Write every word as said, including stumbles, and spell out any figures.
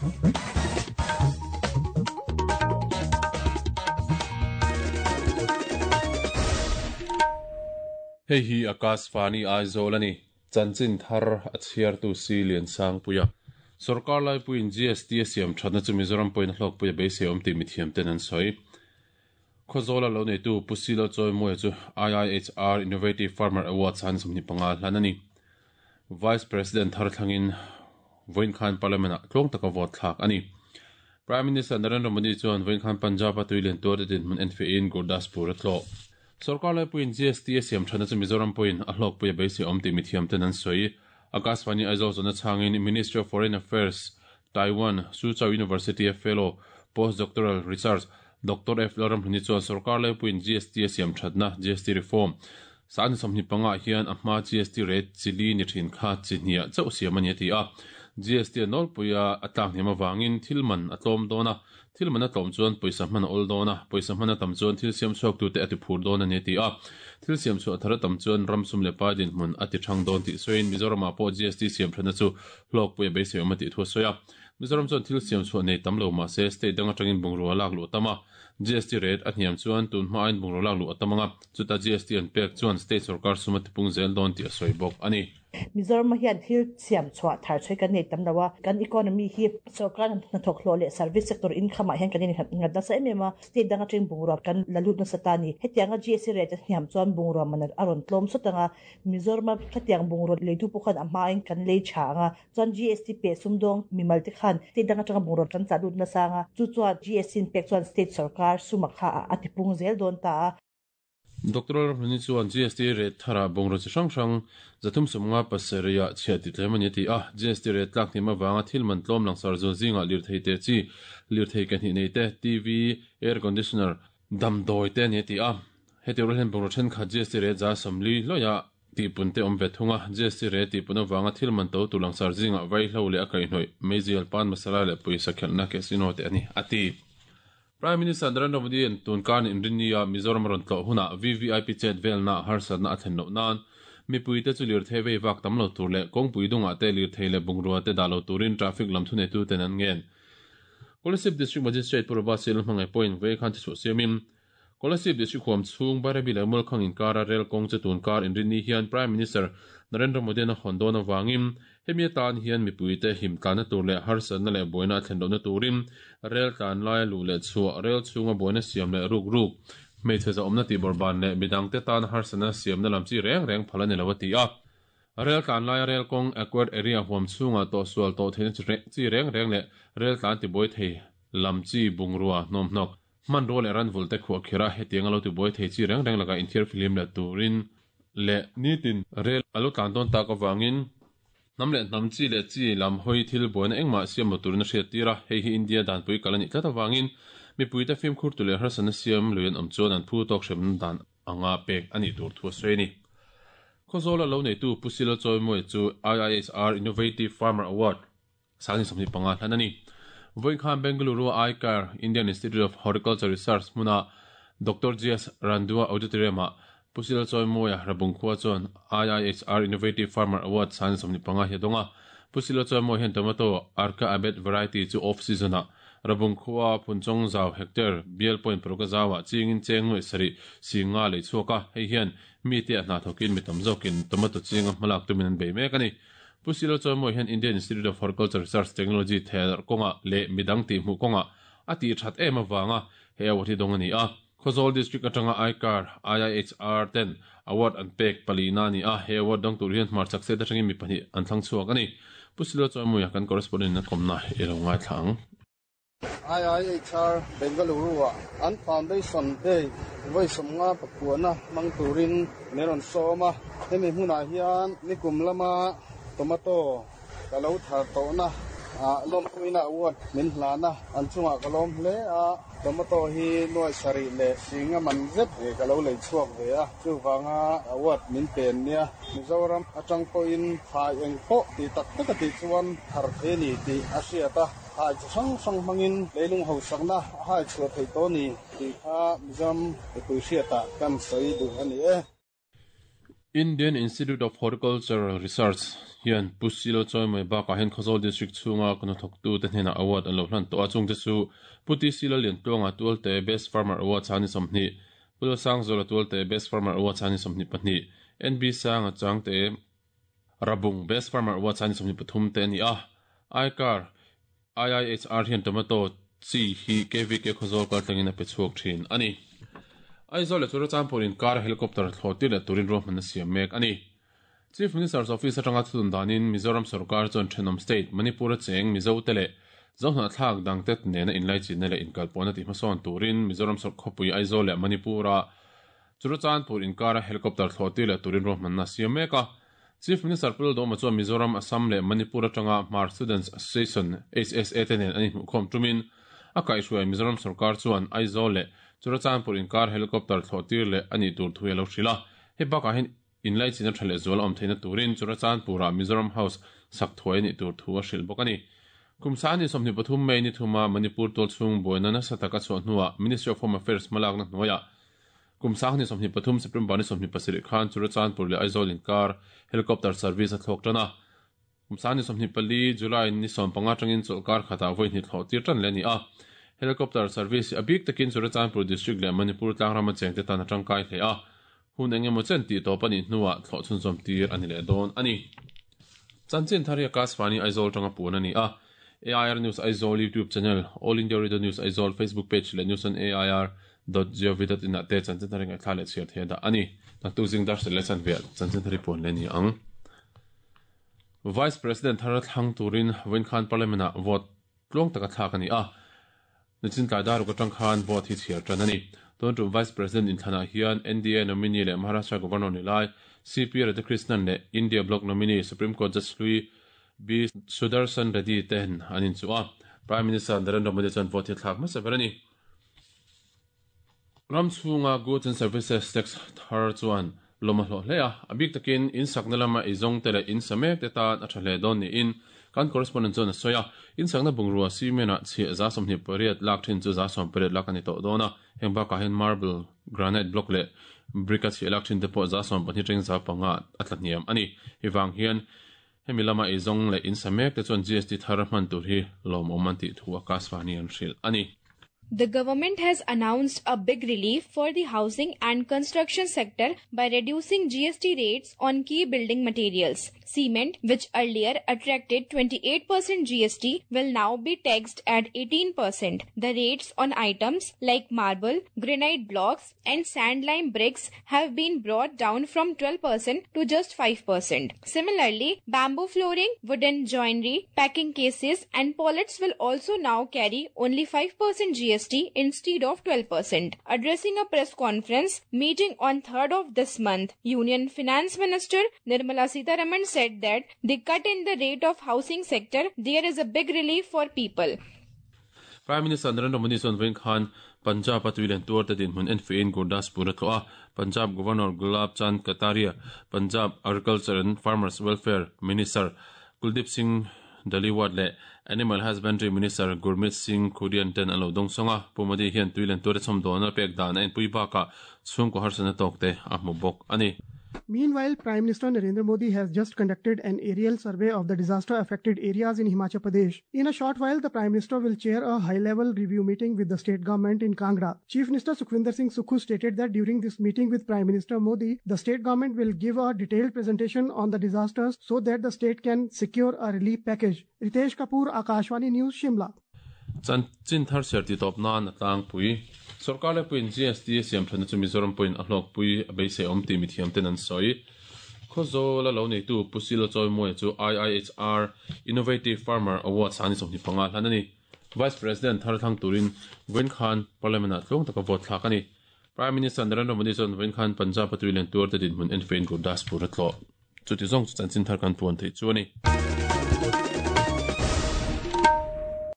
Hei hi Akashvani Aizawl ani chanchin thar a chhiar tu si lian sang puia sarkar lai puin G S T siam thatna chu Mizoram point hlok puia beisei awm ti mithiam ten an sawi Khozola lo nei tu Pusilo Choi Moya chu I I H R Innovative Farmer Award chan sumni panga hlan ani Vice President thar thlangin Voin Khan Parliament a tlong taka vote thlak ani Prime Minister Narendra Modi chuan Voin Khan Punjab a tuilen tur te din mun enfe in Gurdaspur a tlo Sarkar lai puin G S T siam thana chu Mizoram point a hlok puia beisei awm ti mithiam ten an sawi Akashvani Aizawl zona changin Ministry of Foreign Affairs Taiwan Suzhou University Fellow Postdoctoral Research Doctor F Loram Hluni chuan sarkar lai puin G S T siam thatna G S T reform san somni panga hian a hma G S T rate chili ni thin kha chinia chau siam ani ti a G S T nol puia atlak niam awangin thilman atlom dona thilman atlom chuan poisa hman ol dona poisa hman tam chuan thil siam chuak tu te ati phur dona ni ti a thil siam chu athara tam chuan ramsum le pa din hmun ati thang don ti soin Mizoram po G S T siam thana chu hlok puia beisei awm ti thu soya Mizoram chuan thil siam chu nei tam lo ma se state danga tangin bungrua lak lu tama G S T rate a hniam chuan tun hma ain bungrua lak lu atamanga chuta G S T an pek chuan state sarkar sumati pung zel don ti a soi bawk ani Mizoram hian thil siam chhuah thar chhui kan nei tam lawa kan economy hi sarkar na thok hlo le service sector income ah hian kan in ngat nasa em em a state danga teng bungrua kan lalut na satani hetianga G S T rate hniam chuan bungrua man aron tlom sotanga Mizoram khatiang bungrua leitu pukhan a hma in kan lei tha anga chuan G S T pe sumdong mimal te khan state danga tanga bungrua kan chalut na sanga chu chuan G S T in pek chuan state sarkar suma kha atipung zel don ta. Doctor Hluni chuan G S T rate thara bungro chi hrang hrang zathum sumnga pasaria chhia ti tlem ani ti a G S T rate tlak ni ma wanga thil man tlom langsar zo zinga lir thei te chi lir thei ka ni nei te T V air conditioner dam doi te ni ti a heti ro hen bungro then kha G S T rate za samli loya ti punte om ve thunga G S T rate ti puna wanga thil man to tu langsar zinga vai hlo le akai hnoi mezial pan masala le poisa khelna ke sino te ani ati Prime Minister Narendra Modi en tunkan inrinia Mizoram ron tlo huna V V I P chet velna harsatna athen lo nan mipui te chu lir thei vak tam lo tur le kongpui dunga te lir thei le bungrua te dalo turin traffic lam thune tu ten an ngen Kolasib District Magistrate Purba Sil hmangai point ve khan chu siamin Kolasib District huam chung Barabi le mul khang in kara rel kong che tun kar inrini hian Prime Minister Narendra Modi na hondona wangin hemi tan hian mipui te him tana tur le harsatna le boina thlen lo na turin rel tlan lai lu le chu rel chunga boina siam le ruk ruk meiche za omna ti borban le midang te tan harsatna siam na lam chi reng reng phalani lawati a rel tlan lai rel kong acquired area huam chunga to sual to thein chi reng reng le rel tlan ti boi thei lam chi bungrua nom nok man rol eran volte khu khira hetiang alo ti boi thei chi reng reng laka inthir film la turin le nitin rel alo tlan don ta ka wangin namle nam chi le chi lam hoi thil boina engma siam motur na hriat tira hei hi India dan pui kalani tlata wangin mi puita film khur tu le harsana siam luin am chuan an phu tok hrem dan anga pek ani tur thu sweni Khozola lo nei tu Pusilo Choi Moi chu I I H R Innovative Farmer Award sani samni panga hlanani Voin Khan Bengaluru I C A R Indian Institute of Horticulture Research muna Doctor G S Randua Auditorium Pusilo Choi Moya rabung khua chuan I I H R Innovative Farmer Award san somni panga he donga Pusilo Choi Moi hen tomato Arka Abet variety chu off season a rabung khua phunchong zau hectare bial point proka zawa chingin chengoi sari singa le chuka hei hian mi te na thokin mi tam zokin tomato chinga malak tumin an bei mek ani Pusilo Choi Moi hen Indian Institute of Horticulture Research Technology ther konga le midang ti mu konga ati that em awanga he award hi dong ani a Khozol District atanga I C A R I I H R ten award an pek palina ni a he award dong tur hian hmar chak se atangin mi pahnih an thlang chuak ani Pusilo Choi Moi kan correspondent na komna ero ngai thlang I I H R Bengaluru an foundation day voi somnga pakuana mangturin meron soma hemi huna hian nikum lama tomato kalo thar to na a lom puina award min hlana an chunga kalom hle a tomato hi noi sari le singa man zet e kalo lei chuak ve a chuwanga award min pen nia Mizoram atang po in thai eng po ti tak tak ti chuan thar the ni ti asiata hai sang sang mangin leilung ho sakna hai chu thei to ni ti kha Mizoram e pui siata kan soi du ani e Indian Institute of Horticultural Research Hian Pusilo choi mai ba ka hen Khawzawl District chhunga kan thok tu te hnena award an lo hlan to a chung te chu Puti Silo Lian Tluanga Tualte Best Farmer Award chani sawmhnih Pulo Sangzola Tualte Best Farmer Award chani sawmhnih pahnih N B Sanga Changte Rabung Best Farmer Award chani sawmhnih pathum te ani a Aikar I I H R hian tomato chi hi K V K Khawzawl kal tlangin a pe chhuak thin ani Aizawl leh Churachandpur in kar helicopter thlawh leh turin ruahman a siam mek ani Chief Minister's Office atanga thutun danin Mizoram Sarkar chuan Thenawm State Manipur cheng Mizo te leh Zohna thlak dangtet nena inlai chinna leh inkalpawhna ti hmasawn turin Mizoram Sarkhawpui Aizawl leh Manipura Churachandpur in kara helicopter thlawh leh turin ruahman a siam mek a Chief Minister Pul Doma chuan Mizoram Assam leh Manipur atanga Hmar Students Association H S A te nen an inhmuhkhawm tumin a kaihhruai Mizoram Sarkar chuan Aizawl leh Churachandpur in kar helicopter thlawh tir leh ani tur thu alo hrila he bakah hian inlai chinna tha leh zual awm theihna turin Churachandpura Mizoram House sak thuai ani tur thu a hrilh bawk ani Kumsani sawmhnih pathum mai ni thuma Manipur tual chhung buaina nasa taka chhuah hnuah Ministry of Home Affairs hmalakna hnuaiah Kumsani sawmhnih pathum September ni sawmhnih pasarih khan Churachandpur leh Aizawl in kar helicopter service a thlawk tan a Kumsani sawmhnih pali July ni sawm panga tangin chawlhkar khatah vawi hnih thlawh tir tan le ani a helicopter service a bik takin Churachandpur district leh Manipur tlangrama chengte tan a tangkai hle a hun engemaw chen tih tawp ani hnuah thlawh chhunzawm tir ani leh dawn ani Chanchin thar hi Akashvani Aizawl tanga puan ani a A I R News Aizawl YouTube channel All India Radio News Aizawl Facebook page leh news on A I R dot gov dot in te chanchin thar ngai thla leh chhiar thei da ani taktu zing dar sel le chan vel chanchin thar puan le ni ang Vice President thar thlang turin Winkhan Parliament a vote tlong taka thlak ani a nichin tlai dar ko tang khan vote hi chhiar tan ani ton tu Vice President in thana hian N D A nominee le Maharashtra Governor ni lai C P Radhakrishnan le India Bloc nominee Supreme Court Judge Lui B Sudarshan Reddy ten anin chu a Prime Minister Narendra Modi chuan vote hi thlak hmasa ber ani Ram chhunga Goods and Services Tax thar chuan lawm a hlawh hle a a bik takin in sakna lama eizawng te leh in samek te tan a tha hle dawn niin kan correspondent chuan a sawi a in sakna bungrua cement ah chhiah za sawmhnih pariat lak thin chu za sawm pariat lak ani tawh dawn a heng bakah hian marble granite block leh brick a chhiah lak thin te pawh za sawm pahnih teng za panga a tla hniam ani hivang hian hemi lama eizawng leh in samek te chuan G S T thar hman tur hi lawm awm an tih thu Akashvani an hrilh ani The government has announced a big relief for the housing and construction sector by reducing G S T rates on key building materials. Cement, which earlier attracted twenty-eight percent G S T, will now be taxed at eighteen percent. The rates on items like marble, granite blocks and sand lime bricks have been brought down from twelve percent to just five percent. Similarly, bamboo flooring, wooden joinery, packing cases and pallets will also now carry only five percent G S T instead of twelve percent. Addressing a press conference meeting on third of this month, Union Finance Minister Nirmala Sitharaman said that the cut in the rate of housing sector, there is a big relief for people. Prime Minister Narendra Modi chuan vawiin khan Punjab a tuilen tuar te dinhmun enfiin Gurdaspur a tlawh a Punjab Governor Gulab Chand Kataria, Punjab Agriculture and Farmers Welfare Minister Kuldeep Singh Daliwat le Animal Husbandry Minister Gurmeet Singh Khurian ten an lo dawng sawnga Pu Modi hian tuilen tuar chhawm dawn a pek dan a inpui bakah chhungkaw harsatna tawk te a hmu bawk ani. Meanwhile, Prime Minister Narendra Modi has just conducted an aerial survey of the disaster-affected areas in Himachal Pradesh. In a short while, the Prime Minister will chair a high-level review meeting with the state government in Kangra. Chief Minister Sukhvinder Singh Sukhu stated that during this meeting with Prime Minister Modi, the state government will give a detailed presentation on the disasters so that the state can secure a relief package. Ritesh Kapoor, Akashvani News, Shimla. Chanchin thar ser ti top nan atlang pui sarkar le puin G S T siam thana chu Mizoram puin a hlawk pui a beisei awm ti mithiam ten an sawi Khawzawl a lo nei tu Pusilo Choi Moi chu I I H R Innovative Farmer Award sani sawmhnih panga hlan ani Vice President thar thang turin Vawiin khan Parliament ah tlawng taka vote thlak ani Prime Minister Narendra Modi chuan Vawiin khan Punjab a tuilen tuar te dinhmun enfiin Gurdaspur a tlawh chuti zawng chu chanchin thar kan puan thei chu ani.